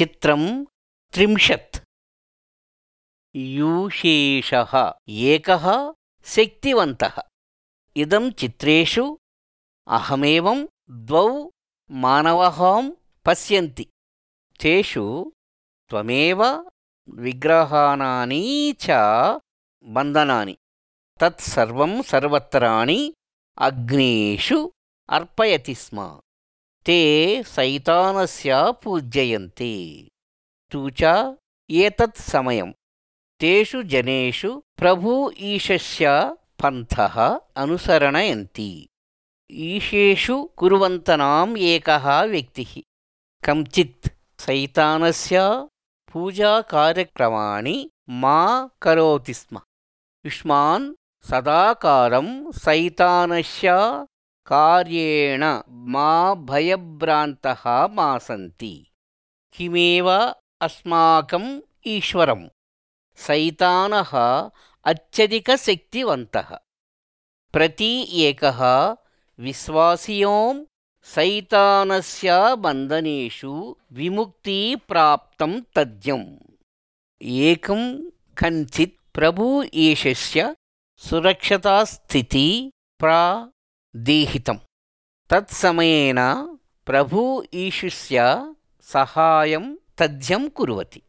चित्रं 30 यूशेषः एकः शक्तिवन्तः इदं चित्रेषु अहमेवं द्वौ मानवः पश्यन्ति तेषु त्वमेव विग्रहाणानि च बन्धनानि तत्सर्वं सर्वत्राणि अग्नेषु अर्पयति स्म ते सैतानस्य पूजयन्ति तु च एतत् समयं तेषु जनेषु प्रभु ईशस्य पन्थः अनुसरणयन्ति ईशेषु कुर्वन्तनाम् एकः व्यक्तिः कञ्चित् सैतानस्य पूजाकार्यक्रमाणि मा करोति स्म युष्मान् सदाकारं सैतानस्य कार्येण मा भयभ्रान्तः मा सन्ति किमेव अस्माकम् ईश्वरं सैतानः अत्यधिकशक्तिवन्तः प्रति एकः विश्वासियों सैतानस्य बन्धनेषु विमुक्ति प्राप्तं तथ्यम् एकं कञ्चित् प्रभु ईशस्य सुरक्षतास्थिति प्रादेहितं तत्समयेन प्रभु ईशस्य सहायं तथ्यं कुर्वति